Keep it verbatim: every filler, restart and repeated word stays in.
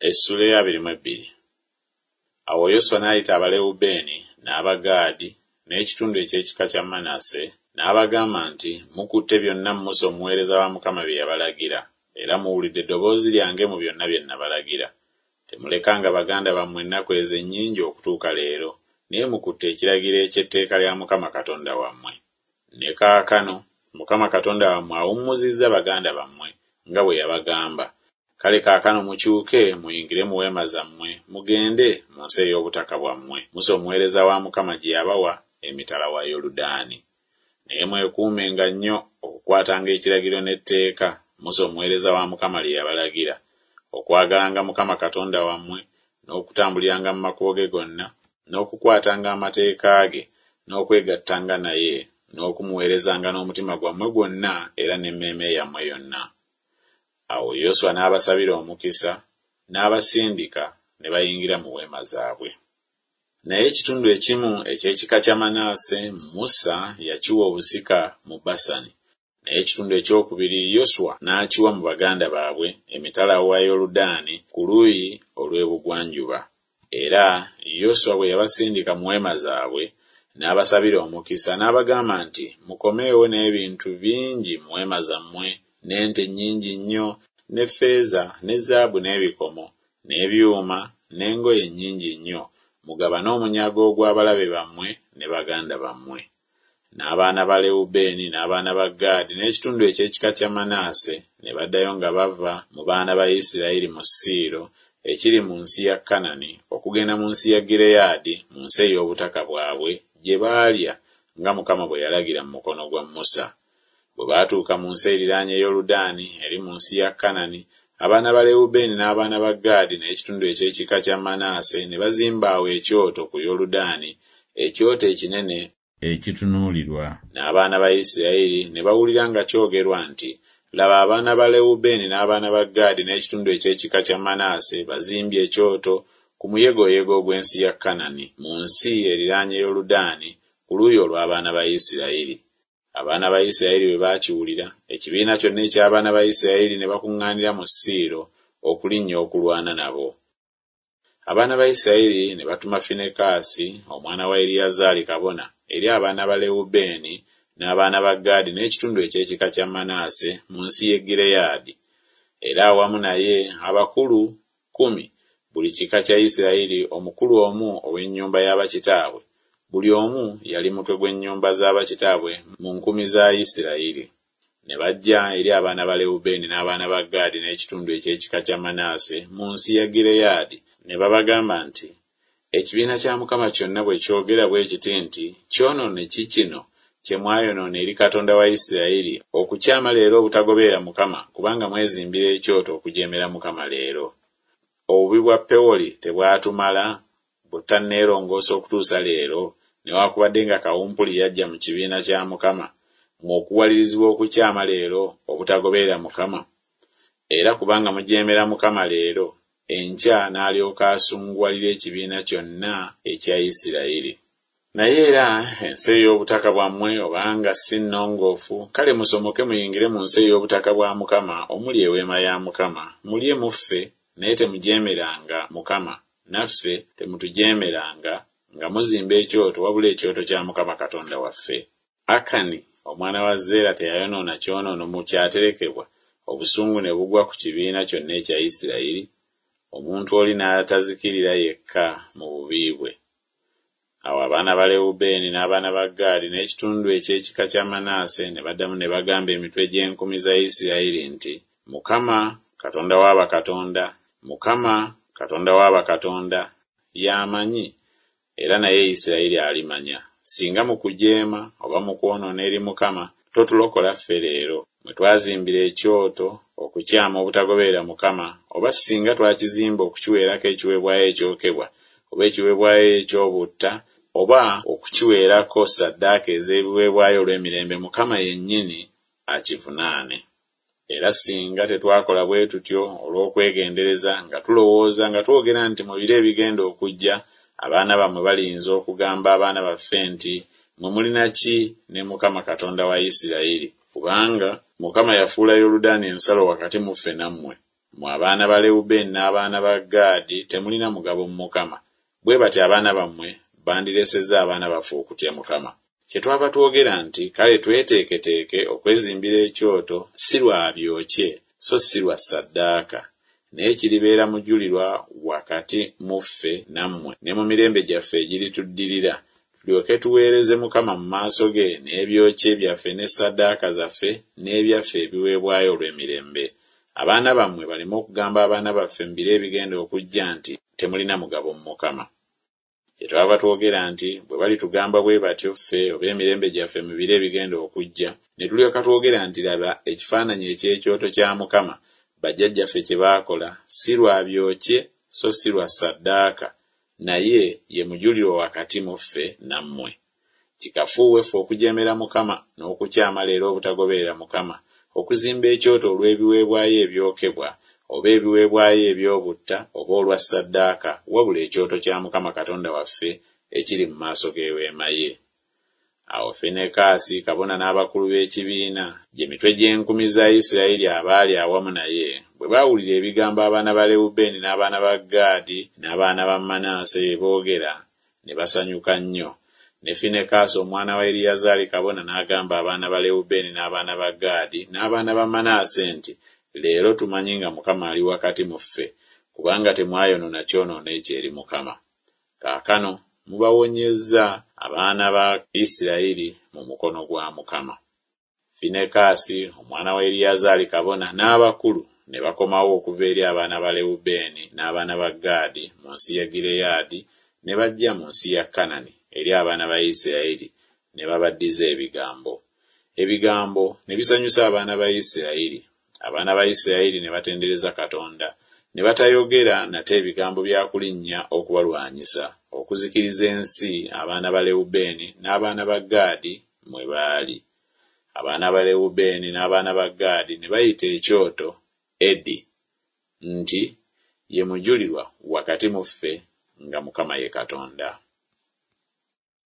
Essuula ey'abiri mu ebbiri. Awo Yoswa n'ayita Abalewubeeni n'Abagaadi n'ekitundu eky'ekika kya Manase n'abagamba nti, Mukutte byonna Musa omuweereza wa Mukama bye yabalagira, era muwulidde eddoboozi lyange mu byonna bye nabalagira. Temulekanga baganda bammwe ennaku ezo ennyingi okutuuka leero, naye mukutte ekiragiro eky'etteeka lya Mukama Katonda wammwe. Ne kaakano Mukama Katonda wammwe awummuzizza baganda bammwe nga bwe yabagamba. Kale kaakano mukyuke muyingire mu weema zammwe, mugende mu nsi ey'obutaka bwammwe, Musa omuweereza wa Mukama gye yabawa emitala wa Yoludaani. Naye mwekuumenga nnyo okukwatanga ekiragiro n'etteeka Musa omuweereza wa Mukama lye yabalagira, okwagalanga Mukama Katonda wammwe, n'okutambuliranga mu makubo ge gonna, n'okukwatanga amateeka ge, n'okwegattanga naye, n'okumuweerezanga n'omutima gwammwe gwonna era n'emmeeme yammwe yonna. Awo Yoswa n'abasabira omukisa, n'abasindika ne bayingira mu weema zaabwe. Naye ekitundu ekimu eky'ekika kya Manase Musa yakiwa obusika mu Basani, naye ekitundu ekyokubiri Yoswa n'akiwa mu baganda baabwe emitala wa Yoludaani ku luuyi olw'ebugwanjuba. Era Yoswa bwe yabasindika mu weema zaabwe, n'abasabira omukisa n'abagamba nti, Mukomeewo n'ebintu bingi mu weema zammwe, n'ente nnyingi nnyo, ne ffeeza, ne zaabu n'ebikomo, n'ebyuma, n'engoye nnyingi nnyo, mugabane omunyago ogw'abalabe bammwe ne baganda bammwe. N'abaana ba Lewubeeni n'abaana ba Gaadi n'ekitundu eky'ekika kya Manase ne baddayo nga bava mu baana ba Isirayiri mu Siiro ekiri mu nsi ya Kanani okugenda mu nsi ya Gireyaadi mu nsi ey'obutaka bwabwe gye baalya nga Mukama bwe yalagira mu mukono gwa Musa. Bwe baatuuka mu nsi eriraanye Yoludaani eri mu nsi ya Kanani, abaana ba Lewubeeni n'abaana ba Gaadi n'ekitundu eky'ekika kya Manase ne bazimba awo ekyoto ku Yoludaani, ekyoto ekinene ekitunuulirwa. N'abaana ba Isirayiri ne bawulira nga kyogerwa nti, Laba abaana ba Lewubeeni n'abaana ba Gaadi n'ekitundu eky'ekika kya Manase bazimbye ekyoto ku muyegoyego ogw'ensi ya Kanani, mu nsi eriraanye Yoludaani ku luuyi olw'abaana ba Isirayiri. Abaana ba Isirayiri bwe baakiwulira, ekibiina kyonna eky'abaana ba Isirayiri ne bakuŋŋaanira mu Siiro okulinnya okulwana nabo. Abaana ba Isirayiri ne batuma Finekaasi omwana wa Eriyazaali kabona eri abaana ba Lewubeeni n'abaana ba Gaadi n'ekitundu eky'ekika kya Manase mu nsi y'e Gireyaadi, era awamu naye abakulu kkumi buli kika kya Isirayiri, omukulu omu ow'ennyumba y'abakitaabwe, buli omu yali mutwe gw'ennyumba z'abakitaabwe mu nkumi za Isirayiri. Ne bajja eri abaana ba Lewubeeni n'abaana ba Gaadi n'ekitundu eky'ekika kya Manase mu nsi ya Gireyaadi, ne babagamba nti, Ekibiina kya Mukama kyonna bwe kyogera bwe kiti nti, Kyonoone ki kino kye mwayonoona eri Katonda wa Isirayiri okukyama leero obutagoberera Mukama, kubanga mwezimbira ekyoto okujeemera Mukama leero. Obubi bwa Pewoli tebwatumala butanneerongoosa okutuusa leero, newaakubadde nga kawumpuli yajja mu kibiina kya Mukama, mmwe okuwalirizibwa okukyama leero obutagoberera Mukama? Era kubanga mujeemera Mukama leero, enkya n'alyoka asunguwalira ekibiina kyonna ekya Isirayiri. Naye era ensi ey'obutaka bwammwe obanga si nnongoofu, kale musomoke muyingire mu nsi ey'obutaka bwa Mukama omuli eweema ya Mukama, mulye muffe, naye temujeemeranga Mukama, naffe temutujeemeranga nga muzimba ekyoto wabula ekyoto kya Mukama Katonda waffe. Akani omwana wa Zeera teyayonoona kyonoono mu kyaterekebwa, obusungu ne bugwa ku kibiina kyonna ekya Isirayiri, omuntu oli n'atazikirira yekka mu bubi bwe. Awo abaana ba Lewubeeni n'abaana ba Gaadi n'ekitundu eky'ekika kya Manase ne baddamu ne bagamba emitwe gy'enkumi za Isirayiri nti, Mukama Katonda wa bakatonda, Mukama Katonda wa bakatonda, y'amanyi, era naye Isirayiri alimanya. Singa mu kujeema oba mu kwonoona eri Mukama totulokola ffe leero, mwe twazimbira ekyoto okukyama obutagoberera Mukama, oba singa twakizimba okukiweerako ekiweebwayo ekyokebwa, oba ekiweebwayo eky'obutta, oba okukiweerako ssaddaaka ez'ebiweebwayo olw'emirembe, Mukama yennyini akivunaane. Era singa tetwakola bwe tutyo olw'okwegendereza nga tulowooza nga twogera nti mu biro ebigenda okujja abaana bammwe baliyinza okugamba abaana baffe nti, Mmwe mulina ki ne Mukama Katonda wa Isirayiri? Kubanga Mukama yafuula Yoludaani ensalo wakati mu ffe nammwe. Mmwe abaana ba Lewubeeni n'abaana ba Gaadi temulina mugabo mu Mukama. Bwe batyo abaana bammwe bandireesezza abaana baffe okutya Mukama. Kyetwava twogera nti, Kale tweteeketeeke okwezimbira ekyoto, si lwa byokye so si lwa ssaddaaka, naye kiribeera mujulirwa wakati mu ffe nammwe ne mu mirembe gyaffe egirituddirira, tulyoke tuweereze Mukama mu maaso ge n'ebyokye byaffe ne ssaddaaka zaffe n'ebyaffe ebiweebwayo olw'emirembe. Abaana bammwe baleme okugamba abaana baffe mu biro ebigenda okujja nti, Temulina mugabo mu Mukama. Kyetwava twogera nti, Bwe balitugamba bwe batyo ffe oba emirembe gyaffe mu biro ebigenda okujja, ne tulyoka twogera nti, Laba ekifaananyi eky'ekyoto kya Mukama bajjajjaffe kye baakola, si lwa byokye so si lwa ssaddaaka, naye ye mujulirwa wakati mu ffe nammwe. Kikafuuwe ffe okujeemera Mukama n'okukyama leero obutagoberera Mukama, okuzimba ekyoto olw'ebiweebwayo ebyokebwa oba ebiweebwayo eby'obutta oba olwa ssaddaaka, wabula ekyoto kya Mukama Katonda waffe ekiri mu maaso g'eweema ye. Awo Finekaasi kabona n'abakulu b'ekibiina, gye mitwe gy'enkumi za Isirayiri abaali awamu naye, bwe baawulira ebigambo abaana ba Lewubeeni n'abaana ba Gaadi n'abaana ba Manaase bye boogera, ne basanyuka nnyo. Ne Finekaasi omwana wa Eriyazaali kabona n'agamba abaana ba Lewubeeni n'abaana ba Gaadi n'abaana ba Manaase nti, Leero tumanyi nga Mukama ali wakati mu ffe, kubanga temwayonoona kyonoono ekyo eri Mukama. Kaakano mubawonyezza abaana ba Isirayiri mu mukono gwa Mukama. Finekaasi omwana wa Eriyazaali kabona n'abakulu ne bakomawo okuva eri abaana ba Lewubeeni n'abaana ba Gaadi mu nsi ya Gireyaadi, ne bajja mu nsi ya Kanani eri abaana ba Isirayiri, ne babaddiza ebigambo. Ebigambo ne bisanyusa abaana ba Isirayiri. Abaana ba Isirayiri ne batendereza Katonda, ne batayogera nate ebigambo bya kulinnya okubalwanyisa, okuzikiriza ensi abaana ba Lewubeeni n'abaana ba Gaadi mwe baali. Abaana ba Lewubeeni n'abaana ba Gaadi ne bayita ekyoto Edi nti, Ye mujulirwa wakati mu ffe nga Mukama ye Katonda.